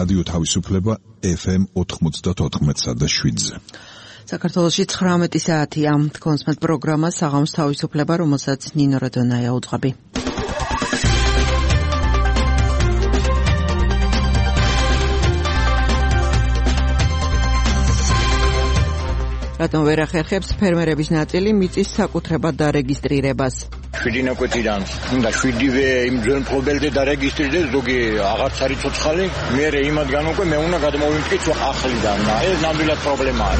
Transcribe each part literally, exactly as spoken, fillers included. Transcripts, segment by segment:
რადიო თავისუფლება ეფ ემ ოთხმოცდაოთხ და შვიდზე. საქართველოში ცხრამეტი საათია. კონსმეთ პროგრამა საღამოს თავისუფლება, რომელსაც ნინო რადონაია უძღვები. რატომ ვერ ახერხებს ფერმერების ნაწილი მიწის საკუთრებად დარეგისტრირებას? შვიდი ნაკვეთიდან უნდა შვიდივე იმ ძველ მფლობელზე დარეგისტრირდეს, ზოგი აღარც არის ცოცხალი, მერე იმადგან უკვე მე უნდა გადმოვიმტკიცო ახლიდან. ეს ნამდვილად პრობლემაა.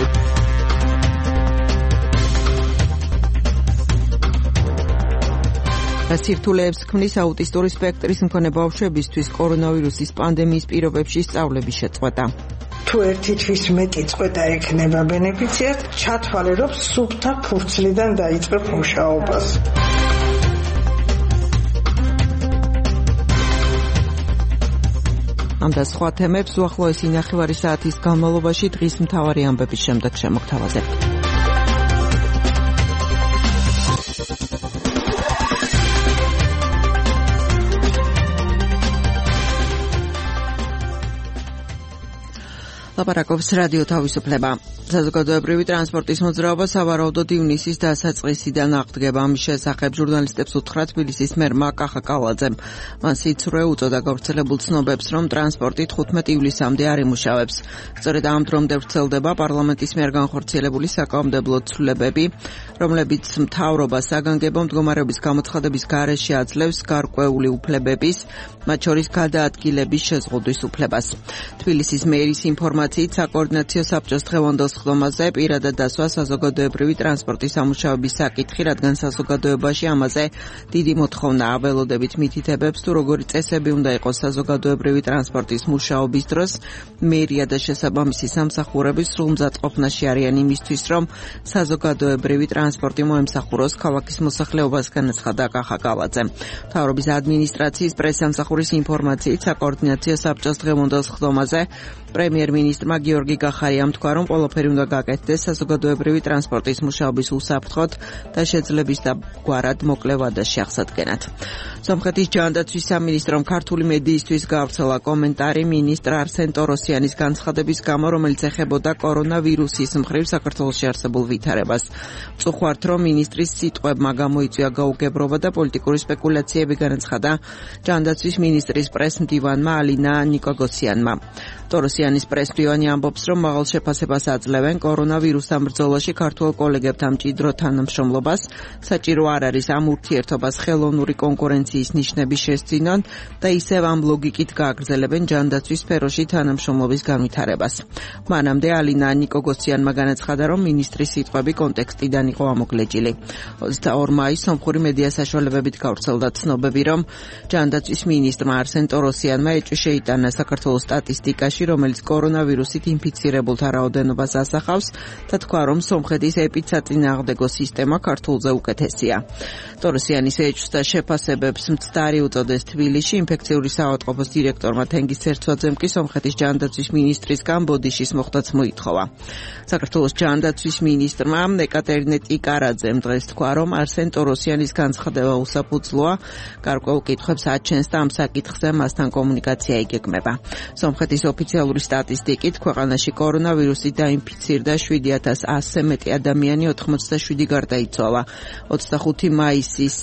სირთულეებს ქმნის აუტისტური სპექტრის მქონე ბავშვებისთვის კორონავირუსის პანდემიის პირობებში სწავლების შეწყვეტა. თუ ერთი თვის მეტი წყვეტა ექნება ბენეფიციარს, ჩათვალიერობს სუფთა ფურცლიდან დაიწყებ მუშაობას. ამ და სხვა თემებს უახლოესი ნახევარი საათის განმავლობაში დღის მთავარი ამბების შემდეგ შემოგთავაზებთ. ლაპარაკობს რადიო თავისუფლება. საზოგადოებრივი ტრანსპორტის მოძრაობა სავარაუდოდ ივნისის დასაწყისიდან აღდგება. ამის შესახებ ჟურნალისტებს უთხრა თბილისის მერმა კახა კალაძემ. მან სიცრუე უწოდა გავრცელებულ ცნობებს, რომ ტრანსპორტი თხუთმეტი ივლისამდე არ იმუშავებს. სწორედ ამ დრომდე ვრცელდება პარლამენტის მიერ განხორციელებული საკანონმდებლო ცვლილებები, რომლებიც მთავრობას საგანგებო მდგომარეობის გამოცხადების გარეშე აძლევს გარკვეული უფლებების, მათ შორის გადაადგილების შეზღუდვის უფლებას. თბილისის მერის ინფორმაციით საკოორდინაციო საბჭოს დღევანდელ სხდომაზე პირადად დასვა საზოგადოებრივი ტრანსპორტის სამუშაოების საკითხი, რადგან საზოგადოებაში ამაზე დიდი მოთხოვნაა. ველოდებით მითითებებს, თუ როგორი წესები უნდა იყოს საზოგადოებრივი ტრანსპორტის მუშაობის დროს, მერია და შესაბამისი სამსახურები სრულმზადყოფნაში არიან იმისთვის, რომ საზოგადოებრივი ტრანსპორტი მოემსახუროს ქალაქის მოსახლეობას, განაცხადა კახა კალაძემ. მთავრობის ადმინისტრაციის პრესსამსახურის ინფორმაციით, საკოორდინაციო საბჭოს დღევანდელ სხდომაზე პრემიერ-მინისტრმა გიორგი გახარიამ თქვა, რომ ყველაფერი უნდა გაკეთდეს საზოგადოებრივი ტრანსპორტის მუშაობის უსაფრთხოდ და შეძლების დაგვარად მოკლე ვადაში აღსადგენად. სომხეთის ჯანდაცვის სამინისტრომ ქართული მედიისთვის გავრცელა კომენტარი მინისტრ არსენ ტოროსიანის განცხადების გამო, რომელიც ეხებოდა კორონავირუსის მხრივ საქართველოში არსებულ ვითარებას. ვწუხართ, რომ მინისტრის სიტყვებმა გამოიწვია გაუგებრობა და პოლიტიკური სპეკულაციები, განაცხადა ჯანდაცვის მინისტრის პრეს-მდივანმა ალინა ნიკოგოსიანმა. ტოროსიანის პრეს-მდივანი ამბობს, რომ მაღალ შეფასებას აძლევენ კორონავირუსთან ბრძოლაში ქართულ კოლეგებთან მჭიდრო თანამშრომლობას, საჭირო არ არის ამ ურთიერთობას ხელოვნური კონკურენციის ნიშნები შესძინონ და ისევ ამ ლოგიკით გააგრძელებენ ჯანდაცვის სფეროში თანამშრომლობის განვითარებას. მანამდე ალინა ნიკოგოსიანმა განაცხადა, რომ მინისტრის სიტყვები კონტექსტიდან იყო ამოკლეჯილი. ოცდაორი მაისს სომხური მედია საშუალებებით გავრცელდა ცნობები, რომ ჯანდაცვის მინისტრმა არსენ ტოროსიანმა ეჭვი შეიტანა საქართველოს სტატისტიკაში, რომელიც კორონავირუსით ინფიცირებულთა რაოდენობას ასახავს და თქვა, რომ სომხეთის ეპიდსაწინააღმდეგო სისტემა ქართულზე უკეთესია. ტოროსიანის ეჭვს და შეფასებებს მცდარი უწოდეს თბილისში. ინფექციური საავადმყოფოს დირექტორმა თენგიზ ცერცვაძემ კი სომხეთის ჯანდაცვის მინისტრისგან ბოდიშის მოხდაც მოითხოვა. საქართველოს ჯანდაცვის მინისტრმა ეკატერინე ტიკარაძემ დღეს თქვა, რომ არსენ ტოროსიანის განცხადება უსაფუძვლოა, გარკვეულ კითხვებს აჩენს და ამ საკითხზე მასთან კომუნიკაცია იგეგმება. სომხეთის ოფიციალური სტატისტიკით ქვეყანაში კორონავირუსით დაინფიცირდა შვიდი ათას ასზე მეტი ადამიანი, ოთხმოცდაშვიდი გარდაიცვალა. ოცდახუთი მაისის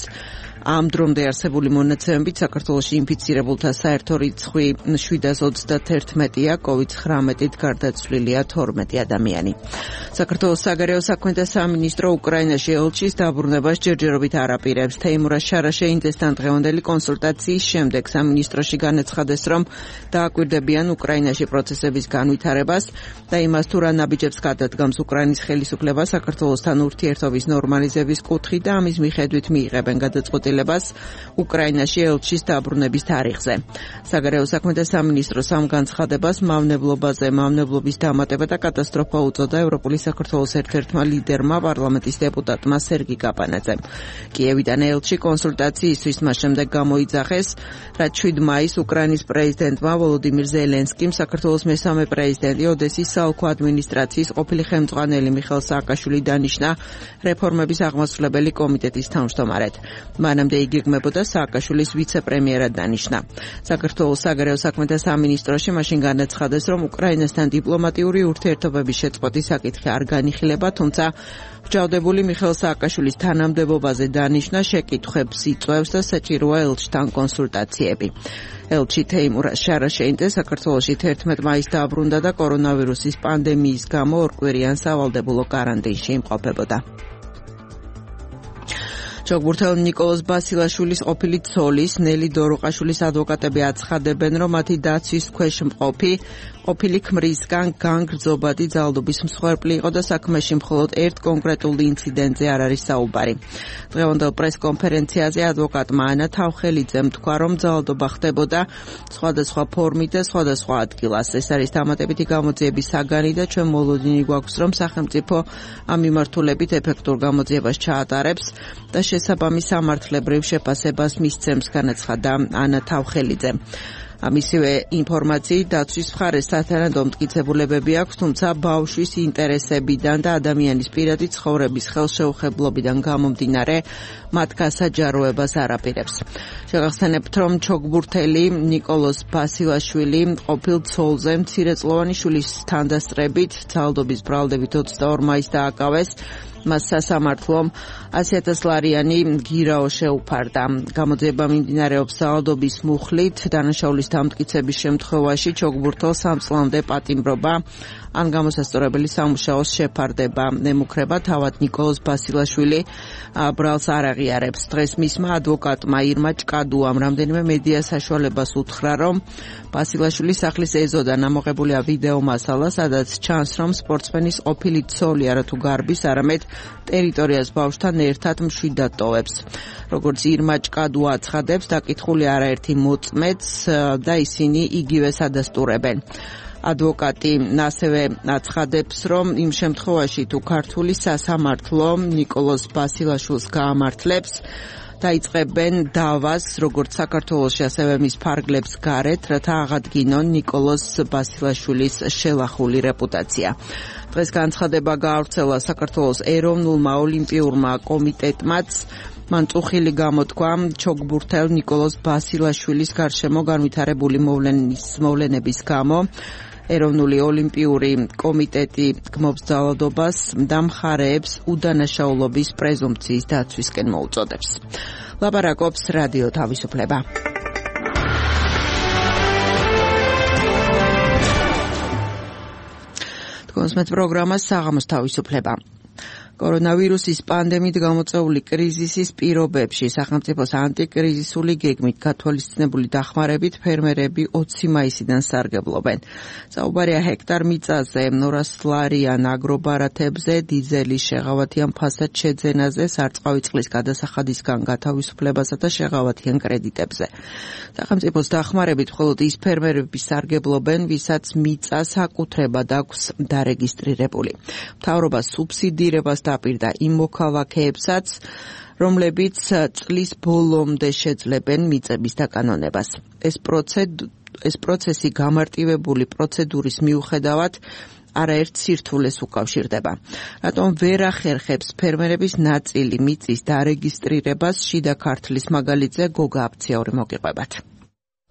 ამ დრომდე არსებული მონაცემებით საქართველოში ინფიცირებულთა საერთო რიცხვი შვიდას ოცდაათია, კოვიდ ცხრამეტით გარდაცვლილია თორმეტი ადამიანი. საქართველოს საგარეო საქმეთა სამინისტრო უკრაინაში ელჩის დაბრუნებას ჯერჯერობით არ აპირებს. თეიმურაზ შარაშეინძესთან დღევანდელი კონსულტაციის შემდეგ სამინისტროში განაცხადეს, რომ დააკვირდებიან უკრაინაში პროცესების განვითარებას და იმას, თუ რა ნაბიჯებს გადადგამს უკრაინის ხელისუფლება საქართველოსთან ურთიერთობის ნორმალიზების კუთხით და ამის მიხედვით მიიღებენ გადაწყვეტილებას უკრაინაში ელჩის დაბრუნების თარიღზე. საგარეო საქმეთა სამინისტროს ამ განცხადებას მავნებლობაზე, მავნებლობის დამატება და კატასტროფა უწოდა ევროპული საქართველოს ერთ-ერთმა ლიდერმა, პარლამენტის დეპუტატმა სერგი კაპანაძემ. კიევიდან ელჩი კონსულტაციისთვის მას შემდეგ გამოიძახეს, რაც შვიდ მაისს უკრაინის პრეზიდენტმა ვოლოდიმირ ზელენსკიმ საქართველოს მესამე პრეზიდენტი ოდესის საოლქო ადმინისტრაციის ყოფილი ხელმძღვანელი მიხეილ სააკაშვილი დანიშნა რეფორმების აღმასრულებელი კომიტეტის თავმჯდომარედ. მანამ მანამდე იგეგმებოდა სააკაშვილის ვიცე-პრემიერად დანიშნა. საქართველოს საგარეო საქმეთა სამინისტროში მაშინ განაცხადეს, რომ უკრაინასთან დიპლომატიური ურთიერთობების შეწყვეტის საკითხი არ განიხილება, თუმცა ბრჭავდებული მიხეილ სააკაშვილის თანამდებობაზე დანიშნა შეკითხვებს იწვევს და საჭიროა ელჩთან კონსულტაციები. ელჩი თეიმურ შარაშეინძე საქართველოში თერთმეტ მაისს დააბრუნდა და კორონავირუსის პანდემიის გამო ორკვირიან სავალდებულო კარანტინში იმყოფებოდა. ჩოგბურთელ ნიკოლოზ ბასილაშვილის ყოფილი ცოლის ნელი დოროყაშვილის ადვოკატები აცხადებენ, რომ მათი დაცვის ქვეშ მყოფი ყოფილი ქმრისგან განგრძობადი ძალადობის მსხვერპლი იყო და საქმეში მხოლოდ ერთ კონკრეტულ ინციდენტზე არ არის საუბარი. დღევანდელ პრესკონფერენციაზე ადვოკატმა ანა თავხელიძემ თქვა, რომ ძალადობა ხდებოდა სხვადასხვა ფორმით და სხვადასხვა ადგილას. ეს არის დამატებითი გამოძიების საგანი და ჩვენ მოლოდინი გვაქვს, რომ სახელმწიფო ამ მიმართულებით ეფექტურ გამოძიებას ჩაატარებს და შესაბამის სამართლებრივ შეფასებას მისცემს, განაცხადა ანა თავხელიძემ. ამისივე ინფორმაციით დაცვის მხარეს სათანადო მტკიცებულებები აქვს, თუმცა ბავშვის ინტერესებიდან და ადამიანის პირადი ცხოვრების ხელშეუხებლობიდან გამომდინარე მათ გასაჯაროებას არ აპირებს. შეგახსენებთ, რომ ჩოგბურთელი ნიკოლოზ ბასილაშვილი ყოფილ ცოლზე მცირეწლოვანი შვილის თანდასწრებით ძალადობის ბრალდებით ოცდაორ მაისს დააკავეს. მას სასამართლომ ასი ათას ლარიანი გირაო შეუფარდა. გამოძიება მიმდინარეობს ძალადობის მუხლით, დანაშაულის დამტკიცების შემთხვევაში ჩოგბურთელს სამ წლამდე პატიმრობა ან გამოსასწორებელი სამუშაოს შეფარდება ემუქრება. თავად ნიკოლოზ ბასილაშვილი ბრალს არ აღიარებს. დღეს მისმა ადვოკატმა ირმა ჭკადუამ რამდენიმე მედია საშუალებას უთხრა, რომ ბასილაშვილის სახლის ეზოდან ამოღებულია ვიდეო მასალა, სადაც ჩანს, რომ სპორტსმენის ყოფილი ცოლი არათუ გარბის, არამედ ტერიტორიას ბავშვთან ერთად მშვიდად ტოვებს. როგორც ირმა ჭკადუა აცხადებს, დაკითხული არაერთი მოწმეც და ისინი იგივეს ადასტურებენ. ადვოკატი ასევე აცხადებს, რომ იმ შემთხვევაში თუ ქართული სასამართლო ნიკოლოზ ბასილაშვილს გაამართლებს, დაიწყებენ დავას როგორც საქართველოში, ასევე მის ფარგლებს გარეთ, რათა აღადგინონ ნიკოლოზ ბასილაშვილის შელახული რეპუტაცია. დღეს განცხადება გაავრცელა საქართველოს ეროვნულმა ოლიმპიურმა კომიტეტმაც. მან წუხილი გამოთქვა ჩოგბურთელ ნიკოლოზ ბასილაშვილის გარშემო განვითარებული მოვლენების გამო. ეროვნული ოლიმპიური კომიტეტი გმობს ძალადობას და მხარეებს უდანაშაულობის პრეზუმპციის დაცვისკენ მოუწოდებს. ლაპარაკობს რადიო თავისუფლება. თქვენს პროგრამას საღამოს თავისუფლება. კორონავირუსის პანდემიით გამოწვეული კრიზისის პირობებში სახელმწიფოს ანტიკრიზისული გეგმით გათვალისწინებული დახმარებით ფერმერები ოცი მაისიდან სარგებლობენ. საუბარია ჰექტარ მიწაზე, ორას ლარიან აგრობარათებზე, დიზელის შეღავათიან ფასად შეძენაზე, სარწყავი წყლის გადასახადისგან გათავისუფლებასა და შეღავათიან კრედიტებზე. სახელმწიფოს დახმარებით მხოლოდ ის ფერმერები სარგებლობენ, ვისაც მიწა საკუთრებად აქვს დარეგისტრირებული. მთავრობა სუბსიდირებას დაპირდა იმ მოქალაქეებსაც, რომლებიც წლის ბოლომდე შეძლებენ მიწების დაკანონებას. ეს პროცედურა ეს პროცესი გამარტივებული პროცედურის მიუხედავად არაერთ სირთულეს უკავშირდება. რატომ ვერ ახერხებს ფერმერების ნაწილი მიწის დარეგისტრირებას? შიდა ქართლის მაგალითზე გოგა აფციაური მოგიყვებათ.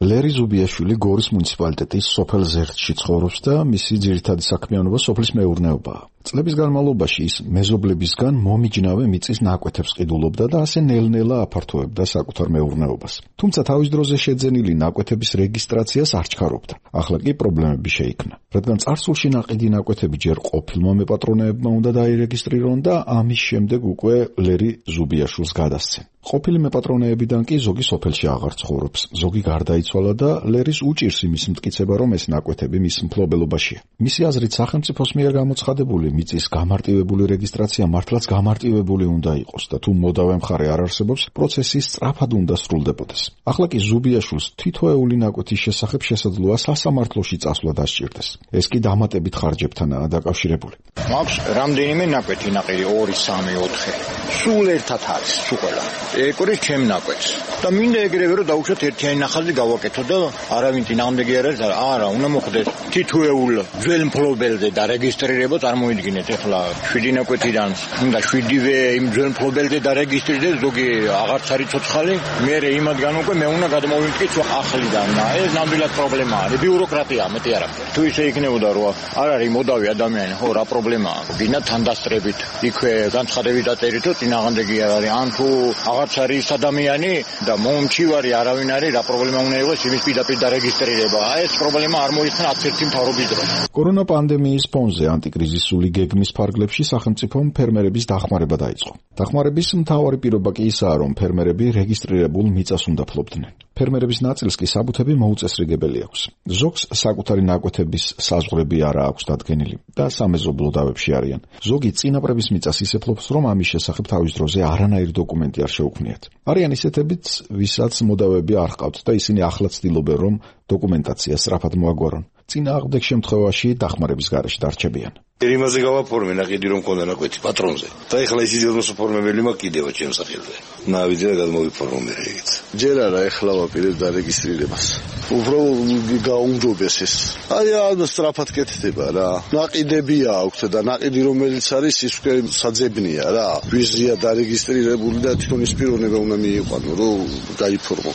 ლერი ზუბიაშვილი გორის მუნიციპალიტეტის სოფელ ზერთში ცხოვრობს და მისი ძირითადი საქმიანობა სოფლის მეურნეობაა. წლების განმავლობაში ის მეზობლებისგან მომიჯნავე მიწის ნაკვეთებს ყიდულობდა და ასე ნელ-ნელა აფართოებდა საკუთარ მეურნეობას. თუმცა თავის დროზე შეძენილი ნაკვეთების რეგისტრაციას არ ჩქარობდა. ახლა კი პრობლემები შეიქმნა, რადგან წარსულში ნაყიდი ნაკვეთები ჯერ ყოფილმა მეპატრონეებმა უნდა დაირეგისტრირონ და ამის შემდეგ უკვე ლერი ზუბიაშვილს გადასცენ. ყოფილი მეპატრონეებიდან კი ზოგი სოფელში აღარ ცხოვრობს, ზოგი გარდაიცვალა და ლერის უჭირს იმის მტკიცება, რომ ეს ნაკვეთები მის მფლობელობაშია. მისი აზრით, სახელმწიფოს მიერ გამოცხადებული მიწის გამარტივებული რეგისტრაცია მართლაც გამარტივებული უნდა იყოს და თუ მოდავე მხარე არ არსებობს, პროცესი სწრაფად უნდა სრულდებოდეს. ახლა კი ზუბიაშვილს თითოეული ნაკვეთის შესახებ შესაძლოა სასამართლოში წასვლა დასჭირდეს. ეს კი დამატებით ხარჯებთანაა დაკავშირებული. მაქვს რამდენიმე ნაკვეთი ნაყიდი ორი, სამი, ოთხი. სულ ერთად არის, სულ ყველა. ეკურის ჩემ ნაკვეთს. და მინდა ეგრევე რომ დავუშვათ ერთიანი ნახაზი გავაკეთო და არავინ წინააღმდეგი არ არის, არა, უნდა მოხდეს თითოეულ ძველ მფლობელზე და რეგისტრირება წარმოიდგინე წარმოიდგინეთ ეხლა შვიდი ნაკვეთიდან უნდა შვიდივე იმ ძველ მფლობელზე დარეგისტრირდეს ზოგი აღარც არის ცოცხალი მე იმადგან უკვე მე უნდა გადმოვიმტკი სხვა ახლიდან და ეს ნამდვილად პრობლემაა ბიუროკრატია მეტი არა თუ ისე იქნებოდა რომ არ არის მოდავი ადამიანი ხო რა პრობლემაა გინდა თანდასწრებით იქვე განცხადებით დაწერითო წინააღმდეგი არის ან თუ აღარც არის ადამიანი და მომჩივარი არავინ არის რა პრობლემა უნდა იყოს იმის პირდაპირ დარეგისტრირება ეს პრობლემა არ მოიხსნა არც ერთი მთავრობის დროს კორონა პანდემიის ფონზე ანტიკრიზისული გეგმის ფარგლებში სახელმწიფომ ფერმერების დახმარება დაიწყო. დახმარების მთავარი პირობა კი ისაა, რომ ფერმერები რეგისტრირებულ მიწას უნდა ფლობდნენ. ფერმერების ნაწილს კი საბუთები მოუწესრიგებელი აქვს. ზოგს საკუთარი ნაკვეთების საზღვრები არა აქვს დადგენილი და სამეზობლო დავებში არიან. ზოგი წინაპრების მიწას ისე ფლობს, რომ ამის შესახებ თავის დროზე არანაირი დოკუმენტი არ შეუქმნიათ. არიან ისეთებიც, ვისაც მოდავეები არ ჰყავთ და ისინი ახლა ცდილობენ, რომ დოკუმენტაცია სწრაფად მოაგვარონ. წინააღმდეგ შემთხვევაში დახმარების გარეშე დარჩებიან. იმაზე გავაფორმე ნაყიდი რომ მქონდა ნაკვეთი პატრონზე და ეხლა ის იძულოს ფორმებელი მაკიდევა ჩემს სახელზე. ნავიდე და გადმოვიფორმე ეგეც. ჯერ არა ეხლა ვაპირებ დარეგისტრირებას. უბრალოდ გაუმჯობეს ეს. აი ამ სწრაფად კეთდება რა. ნაყიდები აქვს და ნაყიდი რომელიც არის ის უკვე საძებნია რა. ვიზია დარეგისტრირებული და თვითონ ის პიროვნება უნდა მიიყვანო რომ გაიფორმო.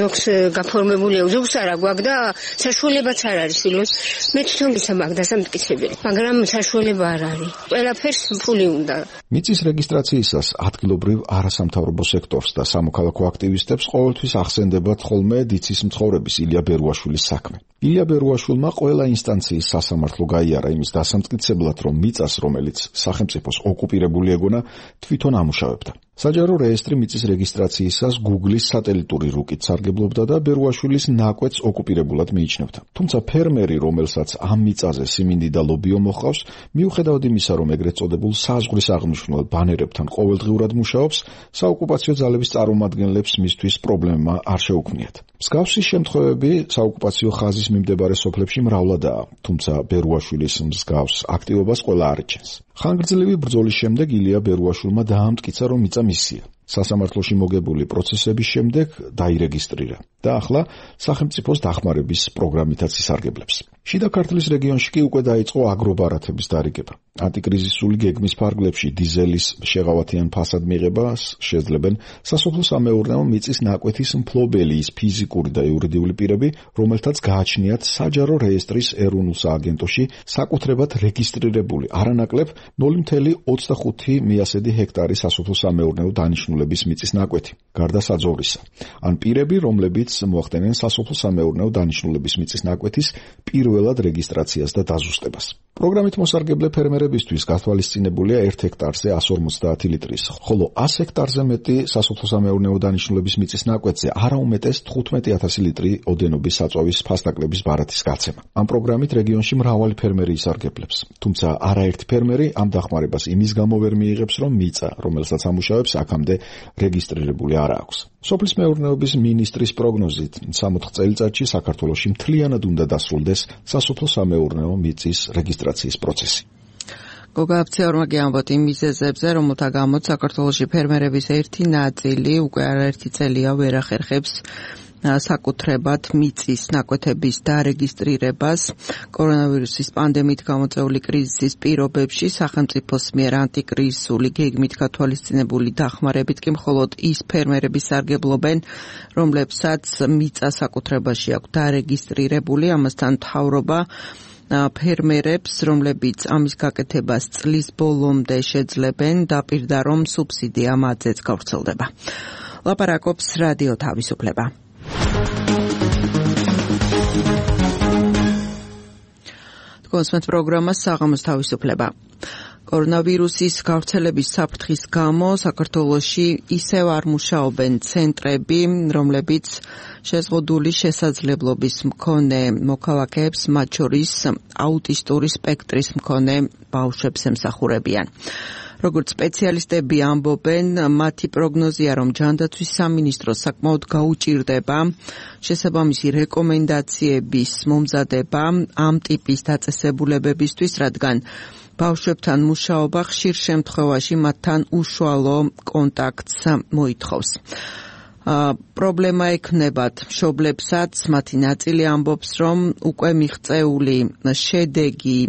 ზოგს გაფორმებულია ზოგს არა გვაქვს და საშუალებაც არ არის რომ მე თვითონ ისა მაგ დასამტკიცებელი. მაგრამ საშუალება არ არის. ყველაფერს ფული უნდა. მიწის რეგისტრაციისას ადგილობრივ არასამთავრობო სექტორს და სამოქალაქო აქტივისტებს ყოველთვის ახსენდებათ ხოლმე დიცის მცხოვრების ილია ბერუაშვილის საქმე. ილია ბერუაშვილმა ყველა ინსტანციის სასამართლო გაიარა იმის დასამტკიცებლად, რომ მიწას, რომელიც სახელმწიფოს ოკუპირებული ეგონა, თვითონ ამუშავებდა. საჯარო რეესტრი მიწის რეგისტრაციისას Google-ის სატელიტური რუკით სარგებლობდა და ბერუაშვილის ნაკვეთს ოკუპირებულად მიიჩნევდა. თუმცა ფერმერი, რომელსაც ამ მიწაზე სიმინდი და ლობიო მოჰყავს, მიუხედავად იმისა, რომ ეგრეთ წოდებულ საზღვრის აღმნიშვნელ ბანერებთან ყოველდღიურად მუშაობს, საოკუპაციო ძალების წარმომადგენლებს მისთვის პრობლემა არ შეუქმნიათ. მსგავსი შემთხვევები საოკუპაციო ხაზის მიმდებარე სოფლებში მრავლადაა, თუმცა ბერუაშვილის მსგავს აქტივობას ყველა არ იჩენს. ხანგრძლივი ბრძოლის შემდეგ ილია ბერუაშვილმა დაამტკიცა, რომ მიწა მისია. სასამართლოში მოგებული პროცესების შემდეგ დაირეგისტრირა და ახლა სახელმწიფოს დახმარების პროგრამითაც ისარგებლებს. შიდა ქართლის რეგიონში კი უკვე დაიწყო აგრობარათების დარიგება. ანტიკრიზისული გეგმის ფარგლებში დიზელის შეღავათიან ფასად მიღებას შეძლებენ სასოფლო-სამეურნეო მიწის ნაკვეთის მფლობელი ის ფიზიკური და იურიდიული პირები, რომელთაც გააჩნიათ საჯარო რეესტრის ეროვნულ სააგენტოში საკუთრებად რეგისტრირებული არანაკლებ ნული ოცდაორი მიასედი ჰექტარი სასოფლო-სამეურნეო დანიშნულების მიწის ნაკვეთი, გარდა საძოვრისა. ან პირები, რომლებიც მოახდენენ სასოფლო-სამეურნეო დანიშნულების მიწის ნაკვეთის პირველად რეგისტრაციას და დაზუსტებას. პროგრამით მოსარგებლე ფერმერებისთვის გათვალისწინებულია ერთ ჰექტარზე εκατს ორმოცდაათი ლიტრის, ხოლო ას ჰექტარზე მეტი სასოფლო-სამეურნეო დანიშნულების მიწის ნაკვეთზე არაუმეტეს თხუთმეტი ათასი ლიტრი ოდენობის საწვავის ფასდაკლების ბარათის გაცემა. ამ პროგრამით რეგიონში მრავალი ფერმერი ისარგებლებს, თუმცა არაერთი ფერმერი ამ დახმარებას იმის გამო ვერ მიიღებს, რომ მიწა, რომელსაც ამუშავებს, აქამდე რეგისტრირებული არ აქვს. სოფლის მეურნეობის მინისტრის პროგნოზით, სამოთხ წელიწადში საქართველოში მთლიანად უნდა დასრულდეს სასოფლო-სამეურნეო მიწის რეგისტრაციის პროცესი. გოგა აფციორმა გიამბოთ იმ მიზეზებზე, რომელთა გამოც საქართველოში ფერმერების ერთი ნაწილი უკვე არაერთი წელია ვერ ახერხებს საკუთრებად მიწის ნაკვეთების დარეგისტრირებას. კორონავირუსის პანდემიით გამოწვეული კრიზისის პირობებში სახელმწიფოს მიერ ანტიკრიზისული გეგმით გათვალისწინებული დახმარებით კი მხოლოდ ის ფერმერები სარგებლობენ, რომლებსაც მიწა საკუთრებაში აქვს დარეგისტრირებული, ამასთან მთავრობა ფერმერებს, რომლებიც ამის გაკეთებას წლის ბოლომდე შეძლებენ, დაპირდა, რომ სუბსიდია მათზეც გავრცელდება. ლაპარაკობს რადიო თავისუფლება. კონსმეთ პროგრამა საღამოს თავისუფლება. კორონავირუსის გავრცელების საფრთხის გამო საქართველოში ისევ არ მუშაობენ ცენტრები, რომლებიც შეზღუდული შესაძლებლობის მქონე მოქალაქეებს, მათ შორის აუტისტური სპექტრის მქონე ბავშვებს ემსახურებიან. როგორც სპეციალისტები ამბობენ, მათი პროგნოზია, რომ ჯანდაცვის სამინისტროს საკმაოდ გაუჭირდება შესაბამისი რეკომენდაციების მომზადება ამ ტიპის დაწესებულებებისთვის, რადგან ბავშვებთან მუშაობა ხშირ შემთხვევაში მათთან უშუალო კონტაქტს მოითხოვს. პრობლემა ექნებათ მშობლებსაც, მათი ნაწილი ამბობს, რომ უკვე მიღწეული შედეგი,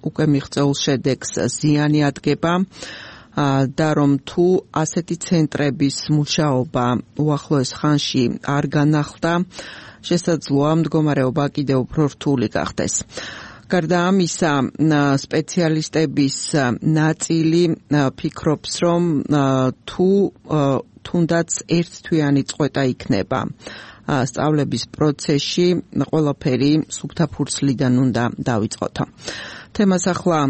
უკვე მიღწეულ შედეგს ზიანი ადგება და რომ თუ ასეთი ცენტრების მუშაობა უახლოეს ხანში არ განახლდა, შესაძლოა მდგომარეობა კიდევ უფრო რთული გახდეს. გარდა ამისა, სპეციალისტების ნაწილი ფიქრობს, რომ თუ თუნდაც ერთთვიანი წყვეტა იქნება სწავლების პროცესში, ყველაფერი სუფთა ფურცლიდან უნდა დავიწყოთ. თემას ახლა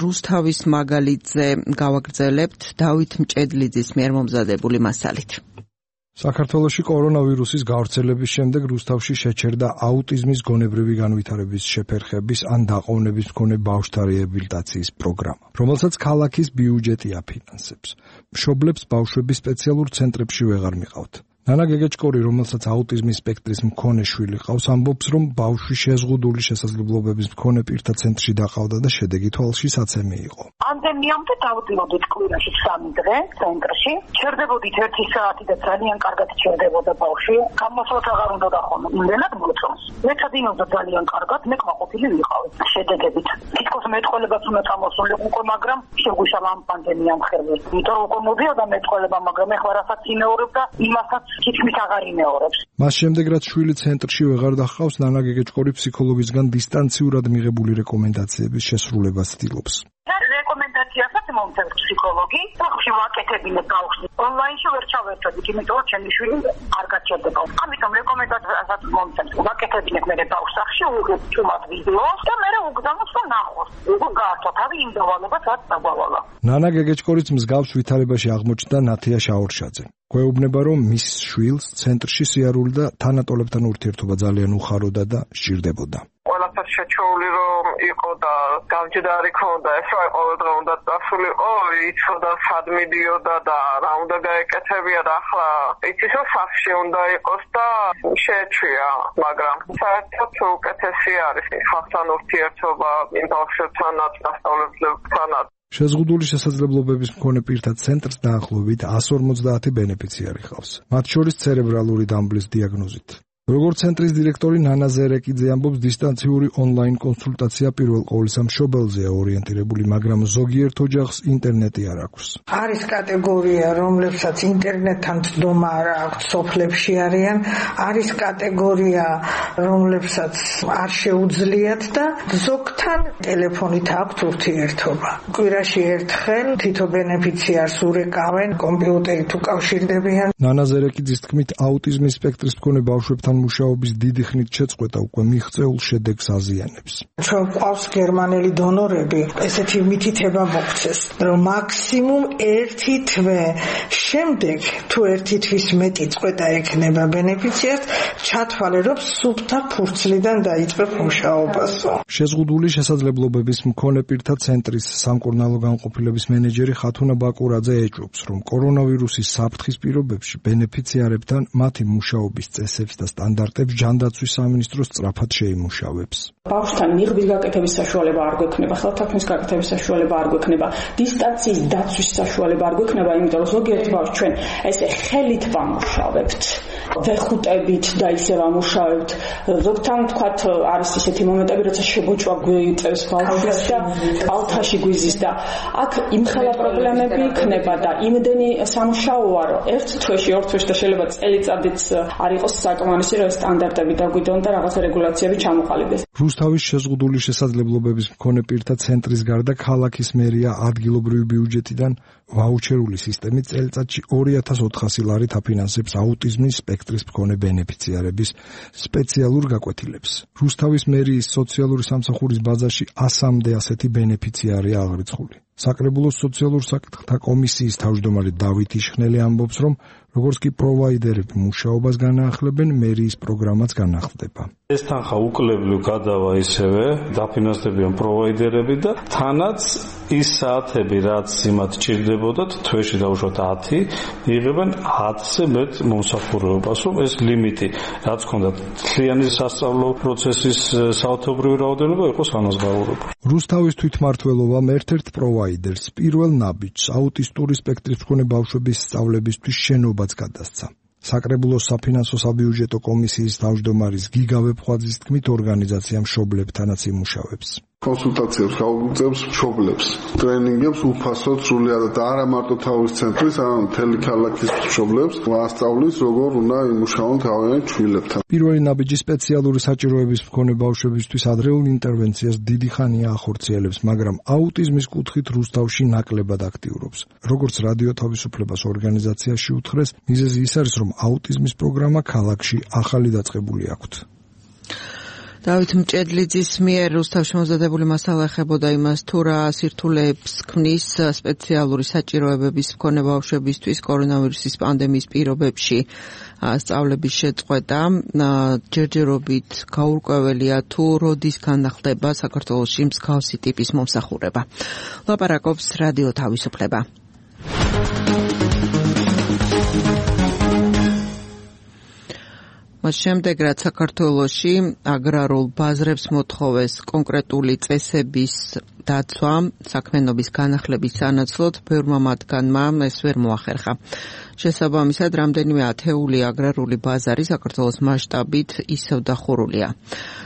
რუსთავის მაგალითზე გავაგრძელებთ დავით მჭედლიძის მიერ მომზადებული მასალით. საქართველოში კორონავირუსის გავრცელების შემდეგ რუსთავში შეჩერდა აუტიზმის გონებრივი განვითარების შეფერხების ან დაყოვნების მქონე ბავშვთა რეაბილიტაციის პროგრამა, რომელსაც ქალაქის ბიუჯეტი აფინანსებს. მშობლებს ბავშვები სპეციალურ ცენტრებში ვეღარ მიყავთ. ნანა გეგეჭკორი, რომელსაც აუტიზმის სპექტრის მქონე შვილი ყავს, ამბობს, რომ ბავშვი შეზღუდული შესაძლებლობების მქონე პირთა ცენტრში დაყავდა და შედეგი თვალში საცემი იყო. პანდემიამდე დავდივოდით კვირაში სამი დღე ცენტრში, ჩერდებოდით ერთი საათი და ძალიან კარგად ჩერდებოდა ბავშვი. გამოსვლაც აღარ უნდა დახონო, იმდენად მოწონს. მეცადინობდა ძალიან კარგად, მე კმაყოფილი ვიყავი შედეგებით. თითქოს მეტყოლებაც უნდა წამოსულიყო, მაგრამ შეგვიშალა ამ პანდემიამ ხელი. იმიტომ რომ უკვე მოდიოდა მეტყოლება, მაგრამ ეხლა რასაც იმეორებდა, იმასაც თითქმის აღარ იმეორებს. მას შემდეგ რაც შვილი ცენტრში ვეღარ დახავს, ნანა გეგეჭკორი ფსიქოლოგისგან დისტანციურად მიღებული რეკომენდაციების შესრულებას ცდილობს. რეკომენდაციასაც მომწევს ფსიქოლოგი, ბავშვი ვაკეთებინე ბავშვი. ონლაინში ვერ ჩავერთვით, იმიტომ რომ ჩემი შვილი არ გაჩერდება. ამიტომ რეკომენდაციასაც მომწევს. ვაკეთებინე მე ბავშვს სახში უღებ ჩუმად ვიდეოს და მე უგზავნოს რომ ნახოს. უკვე გაართვა თავი იმ დავალებას რაც დაგვალა. ნანა გეგეჭკორიც მსგავს ვითარებაში აღმოჩნდა ნათია შაორშაძე. გვეუბნება, რომ მის შვილს ცენტრში სიარული და თანატოლებთან ურთიერთობა ძალიან უხაროდა და სჭირდებოდა. ყველაფერ შეჩეული რომ იყო და გამჯდარი ქონდა, ეს რა ყოველდღე უნდა წასულიყო, იცოდა სად მიდიოდა და რა უნდა გაეკეთებია და ახლა იცის რომ სახში უნდა იყოს და შეეჩვია, მაგრამ საერთოდ უკეთესი არის ხალხთან ურთიერთობა, იმ ბავშვებთანაც, მასწავლებლებთანაც. შეზღუდული შესაძლებლობების მქონე პირთა ცენტრს დაახლოებით εκατს ორმოცდაათი ბენეფიციარი ჰყავს, მათ შორის ცერებრალური დამბლის დიაგნოზით. როგორც ცენტრის დირექტორი ნანა ზერეკიძე ამბობს, დისტანციური ონლაინ კონსულტაცია პირველ ყოვლისა მშობელზეა ორიენტირებული, მაგრამ ზოგიერთ ოჯახს ინტერნეტი არ აქვს. არის კატეგორია, რომლებსაც ინტერნეტთან ცდომა არ აქვს, სოფლებში არიან, არის კატეგორია, რომლებსაც არ შეუძლიათ და ზოგთან ტელეფონით აქვთ ურთიერთობა. კვირაში ერთხელ თითო ბენეფიციარს ურეკავენ, კომპიუტერით უკავშირდებიან. ნანა ზერეკიძის თქმით, აუტიზმის სპექტრის მქონე ბავშვებთან მუშაობის დიდი ხნით შეწყვეტა უკვე მიღწეულ შედეგს აზიანებს. ჩვენ ყავს გერმანელი დონორები, ესეთი მითითება მოგცეს, რომ მაქსიმუმ ერთი თვე შემდეგ თუ ერთი თვის მეტი წყვეტა ექნება ბენეფიციარს, ჩათვალე რომ სუფთა ფურცლიდან დაიწყებ მუშაობასო. შეზღუდული შესაძლებლობების მქონე პირთა ცენტრის სამკურნალო განყოფილების მენეჯერი ხათუნა ბაკურაძე ეჭვობს, რომ კორონავირუსის საფრთხის პირობებში ბენეფიციარებთან მათი მუშაობის წესებს და სტანდარტებს ჯანდაცვის სამინისტრო სწრაფად შეიმუშავებს. ბავშვთან მიღბის გაკეთების საშუალება არ გვექნება, ხელთათქმის გაკეთების საშუალება არ გვექნება, დისტანციის დაცვის საშუალება არ გვექნება, იმიტომ რომ ზოგიერთ ბავშვს ჩვენ ესე ხელით ვამუშავებთ, ვეხუტებით და ისე ვამუშავებთ. ზოგთან თქვათ არის ისეთი მომენტები, როცა შებოჭვა გვიწევს ბავშვს და კალთაში გვიზის და აქ იმხელა პრობლემები იქნება და იმდენი სამუშაოა, რომ ერთ თვეში, ორ თვეში და შეიძლება წელიწადიც არ იყოს საკმარისი, რომ სტანდარტები დაგვიდონ და რაღაცა რეგულაციები ჩამოყალიბდეს. რუსთავის შეზღუდული შესაძლებლობების მქონე პირთა ცენტრის გარდა ქალაქის მერია ადგილობრივი ბიუჯეტიდან ვაუჩერული სისტემით წელიწადში ორი ათას ოთხასი ლარით აფინანსებს აუტიზმის სპექტრის მქონე ბენეფიციარების სპეციალურ გაკვეთილებს. რუსთავის მერიის სოციალური სამსახურის ბაზაში ასამდე ასეთი ბენეფიციარია აღრიცხული. საკრებულოს სოციალურ საკითხთა კომისიის თავმჯდომარე დავით იშხნელი ამბობს, რომ როგორც კი პროვაიდერები მუშაობას განაახლებენ, მერიის პროგრამაც განახლდება. ეს თანხა უკლებლივ გადავა ისევე დაფინანსდებიან პროვაიდერები და თანაც ის საათები, რაც იმათ ჭირდებოდათ, თვეში დაუშვათ ათი, იღებენ ათზე მეტ მომსახურებას, რომ ეს ლიმიტი, რაც ჰქონდათ მთლიანი სასწავლო პროცესის საათობრივი რაოდენობა იყოს ანაზღაურებული. რუსთავის თვითმმართველობამ ერთ-ერთ პროვაიდერს პირველ ნაბიჯს აუტისტური სპექტრის მქონე ბავშვების სწავლებისთვის შენობაც გადასცა. საკრებულოს საფინანსო საბიუჯეტო კომისიის თავმჯდომარის გიგა ვეფხვაძის თქმით, ორგანიზაცია მშობლებთანაც იმუშავებს. კონსულტაციებს გაუწევს მშობლებს, ტრენინგებს უფასოდ სრულად და არა მარტო თავის ცენტრის, არამედ მთელი ქალაქის მშობლებს ვასწავლის, როგორ უნდა იმუშაონ თავიანთ შვილებთან. პირველი ნაბიჯი სპეციალური საჭიროების მქონე ბავშვებისთვის ადრეულ ინტერვენციას დიდი ხანია ახორციელებს, მაგრამ აუტიზმის კუთხით რუსთავში ნაკლებად აქტიურობს. როგორც რადიო თავისუფლებას ორგანიზაციაში უთხრეს, მიზეზი ის არის, რომ აუტიზმის პროგრამა ქალაქში ახალი დაწყებული აქვთ. დავით მჭედლიძის მიერ რუსთავში მომზადებული მასალა ეხებოდა იმას, თუ რა სირთულეებს ქმნის სპეციალური საჭიროებების მქონე ბავშვებისთვის კორონავირუსის პანდემიის პირობებში სწავლების შეწყვეტა. ჯერჯერობით გაურკვეველია, თუ როდის განახლდება საქართველოში მსგავსი ტიპის მომსახურება. ლაპარაკობს რადიო თავისუფლება. მას შემდეგ, რაც საქართველოში აგრარულ ბაზრებს მოთხოვეს კონკრეტული წესების დაცვა საქმიანობის განახლების სანაცვლოდ, ბევრმა მათგანმა ეს ვერ მოახერხა. შესაბამისად, რამდენიმე ათეული აგრარული ბაზარი საქართველოს მასშტაბით ისევ დახურულია.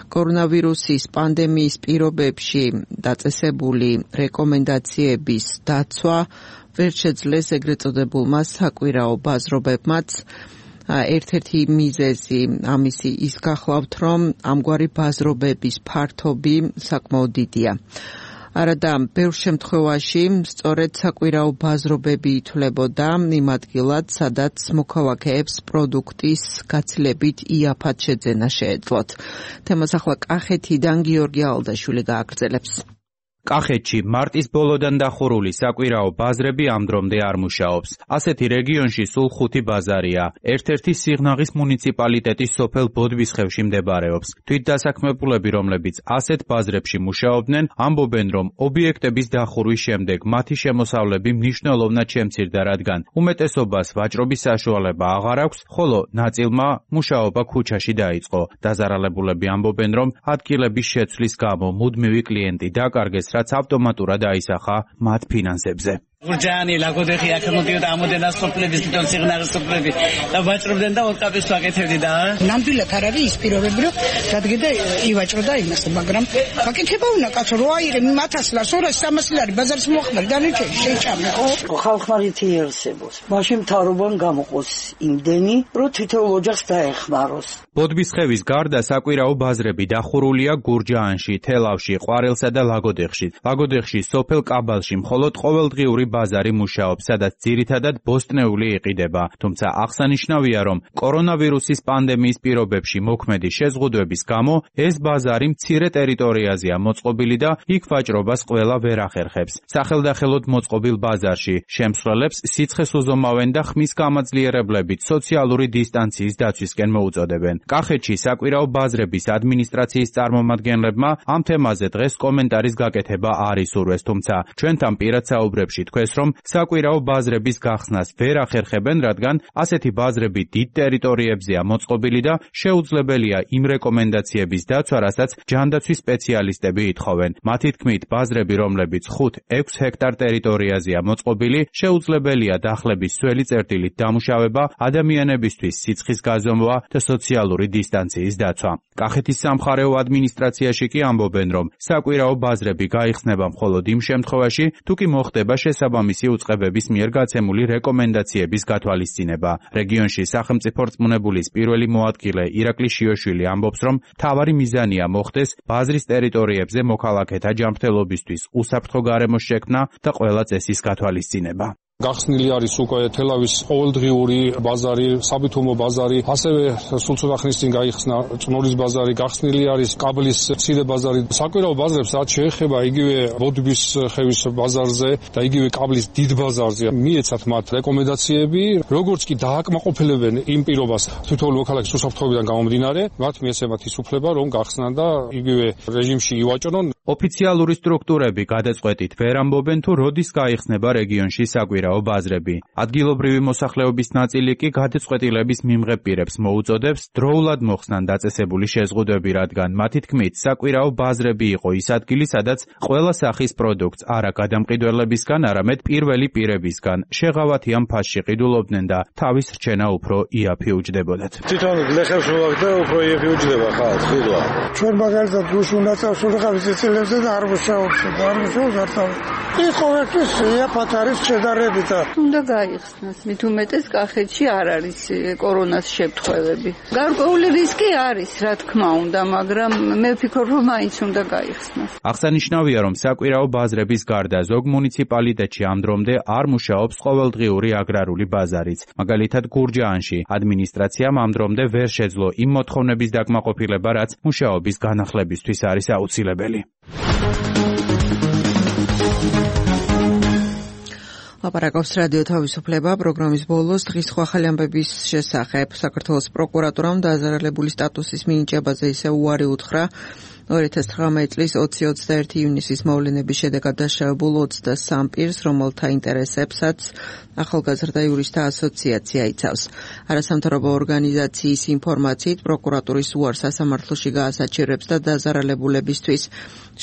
კორონავირუსის პანდემიის პირობებში დაწესებული რეკომენდაციების დაცვა ვერ შეძლეს ეგრეთ წოდებულმა საკვირაო ბაზრობებმაც. ერთ-ერთი მიზეზი ამისი ის გახლავთ, რომ ამგვარი ბაზრობების ფართობი საკმაოდ დიდია. არადა ბევრ შემთხვევაში სწორედ საკვირაო ბაზრობები ითვლებოდა იმ ადგილად, სადაც მოქალაქეებს პროდუქტის გაცილებით იაფად შეძენა შეეძლოთ. თემას ახლა კახეთიდან გიორგი ალდაშვილი გააგრძელებს. კახეთში მარტის ბოლოდან დახურული საკვირაო ბაზრები ამ დრომდე არ მუშაობს. ასეთი რეგიონში სულ ხუთი ბაზარია. ერთ-ერთი სიღნაღის მუნიციპალიტეტის სოფელ ბოდბისხევში მდებარეობს. თვითდასაქმებულები, რომლებიც ასეთ ბაზრებში მუშაობდნენ, ამბობენ, რომ ობიექტების დახურვის შემდეგ მათი შემოსავლები მნიშვნელოვნად შემცირდა, რადგან უმეტესობას ვაჭრობის საშუალება აღარ აქვს, ხოლო ნაწილმა მუშაობა ქუჩაში დაიწყო. დაზარალებულები ამბობენ, რომ ადგილების შეცვლის გამო მუდმივი კლიენტი დაკარგეს, რაც ავტომატურად აისახა მათ ფინანსებზე. გურჯანი ლაგოდეხი აქ მოდიოდა ამოდენას სოფლების თვითონ სიღნაღის სოფლები და ვაჭრობდნენ და ორკაპის ვაკეთებდი და ნამდვილად არ არის ის პირობები, რომ დადგედა ივაჭრო და იმას, მაგრამ ვაკეთება უნდა კაცო, რო აიღე ათას ლარს, ორას სამას ლარი ბაზარს მოახმარ, დანარჩენი შეჭამე, ხო? ხალხმა რითი იერსებოს. მაშინ მთავრობამ გამოყოს იმდენი, რომ თითოეულ ოჯახს დაეხმაროს. ბოდბისხევის გარდა საკვირაო ბაზრები დახურულია გურჯაანში, თელავში, ყვარელსა და ლაგოდეხში. ლაგოდეხში სოფელ კაბალში მხოლოდ ყოველდღიური ბაზარი მუშაობს, სადაც ძირითადად ბოსტნეული იყიდება. თუმცა აღსანიშნავია, რომ კორონავირუსის პანდემიის პირობებში მოქმედი შეზღუდვების გამო ეს ბაზარი მცირე ტერიტორიაზეა მოწყობილი და იქ ვაჭრობას ყველა ვერ ახერხებს. სახელდახელოდ მოწყობილ ბაზარში შემსვლელებს სიცხეს უზომავენ და ხმის გამაძლიერებლებით სოციალური დისტანციის დაცვისკენ მოუწოდებენ. კახეთში საკვირაო ბაზრების ადმინისტრაციის წარმომადგენლებმა ამ თემაზე დღეს კომენტარის გაკეთება არ ისურვეს, თუმცა ჩვენთან პირად საუბრებში თქვეს, რომ საკვირაო ბაზრების გახსნას ვერ ახერხებენ, რადგან ასეთი ბაზრები დიდ ტერიტორიებზეა მოწყობილი და შეუძლებელია იმ რეკომენდაციების დაცვა, რასაც ჯანდაცვის სპეციალისტები ითხოვენ. მათი თქმით, ბაზრები, რომლებიც ხუთ-ექვს ჰექტარ ტერიტორიაზეა მოწყობილი, შეუძლებელია დახლების სველი წერტილით დამუშავება, ადამიანებისთვის სიცხის გაზომვა და სოციალური დისტანციის დაცვა. კახეთის სამხარეო ადმინისტრაციაში კი ამბობენ, რომ საკვირაო ბაზრები გაიხსნება მხოლოდ იმ შემთხვევაში, თუ კი მოხდება შესაბამისი უწყებების მიერ გაცემული რეკომენდაციების გათვალისწინება. რეგიონში სახელმწიფო რწმუნებულის პირველი მოადგილე ირაკლი შიოშვილი ამბობს, რომ მთავარი მიზანია მოხდეს ბაზრის ტერიტორიებზე მოქალაქეთა ჯანმრთელობისთვის უსაფრთხო გარემოს შექმნა და ყველა წესის გათვალისწინება. გახსნილი არის უკვე თელავის ყოველდღიური ბაზარი, საბითუმო ბაზარი, ასევე სულ ცოტა ხნის წინ გაიხსნა წნორის ბაზარი, გახსნილი არის კაბლის მცირე ბაზარი. საკვირაო ბაზრებს რაც შეეხება იგივე ბოდბისხევის ბაზარზე და იგივე კაბლის დიდ ბაზარზე, მიეცათ მათ რეკომენდაციები, როგორც კი დააკმაყოფილებენ იმ პირობას თითოეული მოქალაქის უსაფრთხოებიდან გამომდინარე, მათ მიეცემათ ის უფლება, რომ გახსნან და იგივე რეჟიმში ივაჭრონ. ოფიციალური სტრუქტურები გადაწყვეტით ვერ ამბობენ თუ როდის გაიხსნება რეგიონში საკვირაო ბაზრები. ადგილობრივი მოსახლეობის ნაწილი კი გადაწყვეტილების მიმღებ პირებს მოუწოდებს დროულად მოხსნან დაწესებული შეზღუდვები, რადგან მათი თქმით საკვირაო ბაზრები იყო ის ადგილი, სადაც ყველა სახის პროდუქტს არა გადამყიდველებისგან, არამედ პირველი პირებისგან შეღავათი ამ ფასში ყიდულობდნენ და თავის რჩენა უფრო იაფი უჯდებოდათ. თვითონ ლეხებს მოვაგდა უფრო იაფი უჯდება ხალხს, ხილვა. ჩვენ მაგალითად უშუნა წავსულიყავით ცილებზე და არ მუშაობს და არ მუშაობს არ თავი. ის ყოველთვის იაფად არის შედარებით. უნდა გაიხსნას, მით უმეტეს კახეთში არ არის კორონას შეფრთხილები. გარკვეული რისკი არის, რა თქმა უნდა, მაგრამ მე ვფიქრობ, რომ მაინც უნდა გაიხსნას. აღსანიშნავია, რომ საკვირაო ბაზრების გარდა ზოგ მუნიციპალიტეტში ამ დრომდე არ მუშაობს ყოველდღიური აგრარული ბაზარიც. მაგალითად, გურჯაანში ადმინისტრაციამ ამ დრომდე ვერ შეძლო იმ მოთხოვნების დაკმაყოფილება, რაც მუშაობის განახლებისთვის არის აუცილებელი. ლაპარაკობს რადიო თავისუფლება პროგრამის ბოლოს დღის სხვა ახალი ამბების შესახებ. საქართველოს პროკურატურამ დაზარალებული სტატუსის მინიჭებაზე ისე უარი უთხრა ორი ათას ცხრამეტი წლის ოცი ოცდაერთი ივნისის მოვლენების შედეგად დაშავებულ ოცდასამ პირს, რომელთა ინტერესებსაც ახალგაზრდა იურისტთა ასოციაცია იცავს. არასამთავრობო ორგანიზაციის ინფორმაციით პროკურატურის უარს სასამართლოში გაასაჩერებს და დაზარალებულებისთვის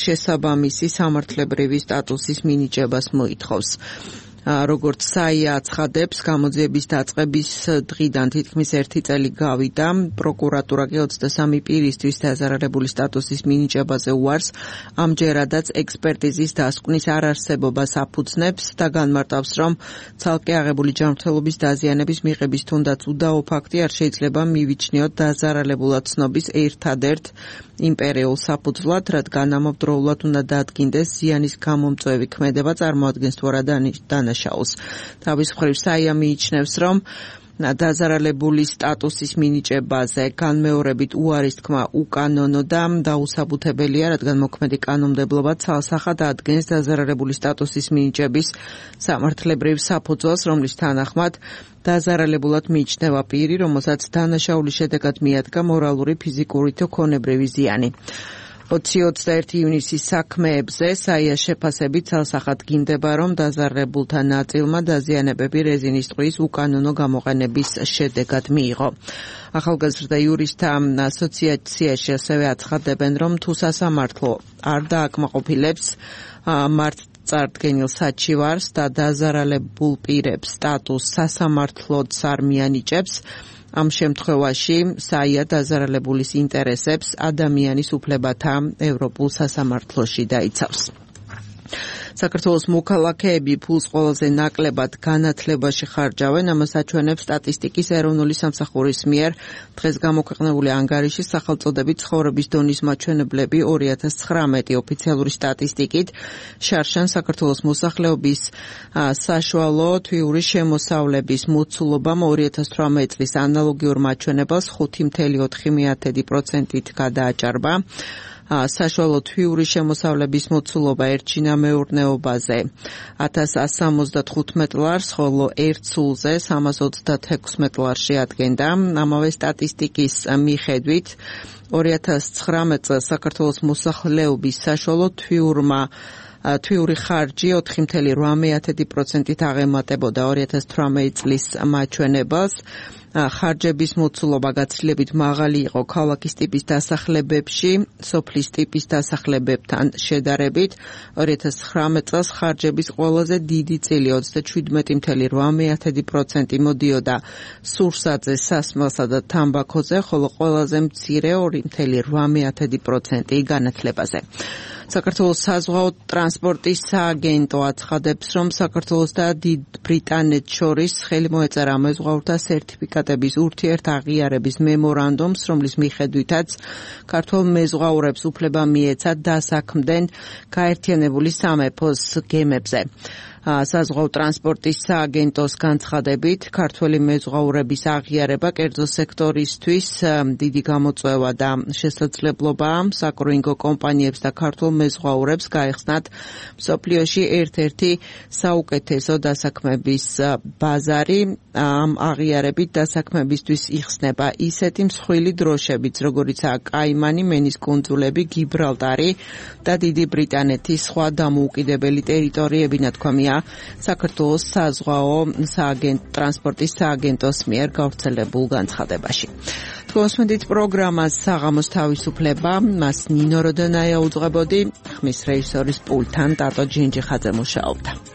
შესაბამისი სამართლებრივი სტატუსის მინიჭებას მოითხოვს. როგორც საია აცხადებს, გამოძიების დაწყების დღიდან თითქმის ერთი წელი გავიდა. პროკურატურა კი ოცდასამი პირისთვის დაზარალებული სტატუსის მინიჭებაზე უარს ამჯერადაც ექსპერტიზის დასკვნის არარსებობას აფუძნებს და განმარტავს, რომ ცალკე აღებული ჯანმრთელობის დაზიანების მიღების თუნდაც უდაო ფაქტი არ შეიძლება მივიჩნიოთ დაზარალებულად ცნობის ერთადერთ იმპერიულ საფუძვლად, რადგან ამავდროულად უნდა დაადგინდეს ზიანის გამომწვევი ქმედება წარმოადგენს თუ არა დანაშაულს. თავის მხრივ საია მიიჩნევს, რომ დაზარალებული სტატუსის მინიჭებაზე განმეორებით უარის თქმა უკანონო და დაუსაბუთებელია, რადგან მოქმედი კანონმდებლობა ცალსახად ადგენს დაზარალებული სტატუსის მინიჭების სამართლებრივ საფუძველს, რომლის თანახმად დაზარალებულად მიიჩნევა პირი, რომელსაც დანაშაულის შედეგად მიადგა მორალური, ფიზიკური თუ ქონებრივი ზიანი. ოცი ოცდაერთი ივნისის საქმეებზე საია შეფასებით ცალსახად გინდება, რომ დაზარალებულთა ნაწილმა დაზიანებები რეზინის ტყვის უკანონო გამოყენების შედეგად მიიღო. ახალგაზრდა იურისტთა ასოციაციაში ასევე აცხადებენ, რომ თუ სასამართლო არ დააკმაყოფილებს მართლწარდგენილ საჩივარს და დაზარალებულ პირებს სტატუსს სასამართლოც არ მიანიჭებს, ამ შემთხვევაში საია დაზარალებულის ინტერესებს ადამიანის უფლებათა ევროპულ სასამართლოში დაიცავს. საქართველოს მოქალაქეები ფულს ყველაზე ნაკლებად განათლებაში ხარჯავენ, ამას აჩვენებს სტატისტიკის ეროვნული სამსახურის მიერ დღეს გამოქვეყნებული ანგარიშის სახელწოდებით ცხოვრების დონის მაჩვენებლები ორი ათას ცხრამეტი ოფიციალური სტატისტიკით შარშან საქართველოს მოსახლეობის საშუალო თვიური შემოსავლების მოცულობამ ორი ათას თვრამეტი წლის ანალოგიურ მაჩვენებელს ხუთი კoma ოთხი პროცენტით გადააჭარბა. საშუალო თვიური შემოსავლების მოცულობა ერჩინა მეურნეობაზე ათას ასი სამოცდათხუთმეტ ლარს, ხოლო ერთ სულზე სამას ოცდათექვსმეტ ლარში ადგენდა. ამავე სტატისტიკის მიხედვით ორი ათას ცხრამეტ წელს საქართველოს მოსახლეობის საშუალო თვიურმა თვიური ხარჯი ოთხი კoma რვა პროცენტით აღემატებოდა ორი ათას თვრამეტი წლის მაჩვენებელს. ხარჯების მოცულობა გაცილებით მაღალი იყო ქალაქის ტიპის დასახლებებში, სოფლის ტიპის დასახლებებთან შედარებით. ორი ათას ცხრამეტ წელს ხარჯების ყველაზე დიდი წილი ოცდაშვიდმეტი კoma რვა პროცენტი მოდიოდა სურსათზე, სასმელსა და თამბაქოზე, ხოლო ყველაზე მცირე ორი კoma რვა პროცენტი განათლებაზე. საქართველოს საზღვაო ტრანსპორტის სააგენტო აცხადებს, რომ საქართველოს და დიდ ბრიტანეთს შორის ხელი მოეწერა მეზღვაურთა სერტიფიკატების ურთიერთაღიარების მემორანდუმს, რომლის მიხედვითაც ქართველ მეზღვაურებს უფლება მიეცათ დასაქმდნენ გაერთიანებული სამეფოს გემებზე. საზღვაო ტრანსპორტის სააგენტოს განცხადებით, ქართველი მეზღვაურების აღიარება კერძო სექტორისთვის დიდი გამოწვევა და შესაძლებლობაა საკრუინგო კომპანიებს და ქართულ მეზღვაურებს გაეხსნათ მსოფლიოში ერთ-ერთი საუკეთესო დასაქმების ბაზარი. Ამ აღიარებით დასაქმებისთვის იხსნება ისეთი მსხვილი დროშებიც, როგორიცაა კაიმანი, მენის კუნძულები, გიბრალტარი და დიდი ბრიტანეთის სხვა დამოუკიდებელი ტერიტორიები, ნათქვამია საქართველოს საზღვაო სააგენტო ტრანსპორტის სააგენტოს მიერ გავრცელებულ განცხადებაში. Თქვენს პროგრამას საღამოს თავისუფლება, მას ნინო როდონაია უძღვებოდი, ხმის რეჟისორის პულტთან ტატო ჯინჯიხაძე მუშაობდა.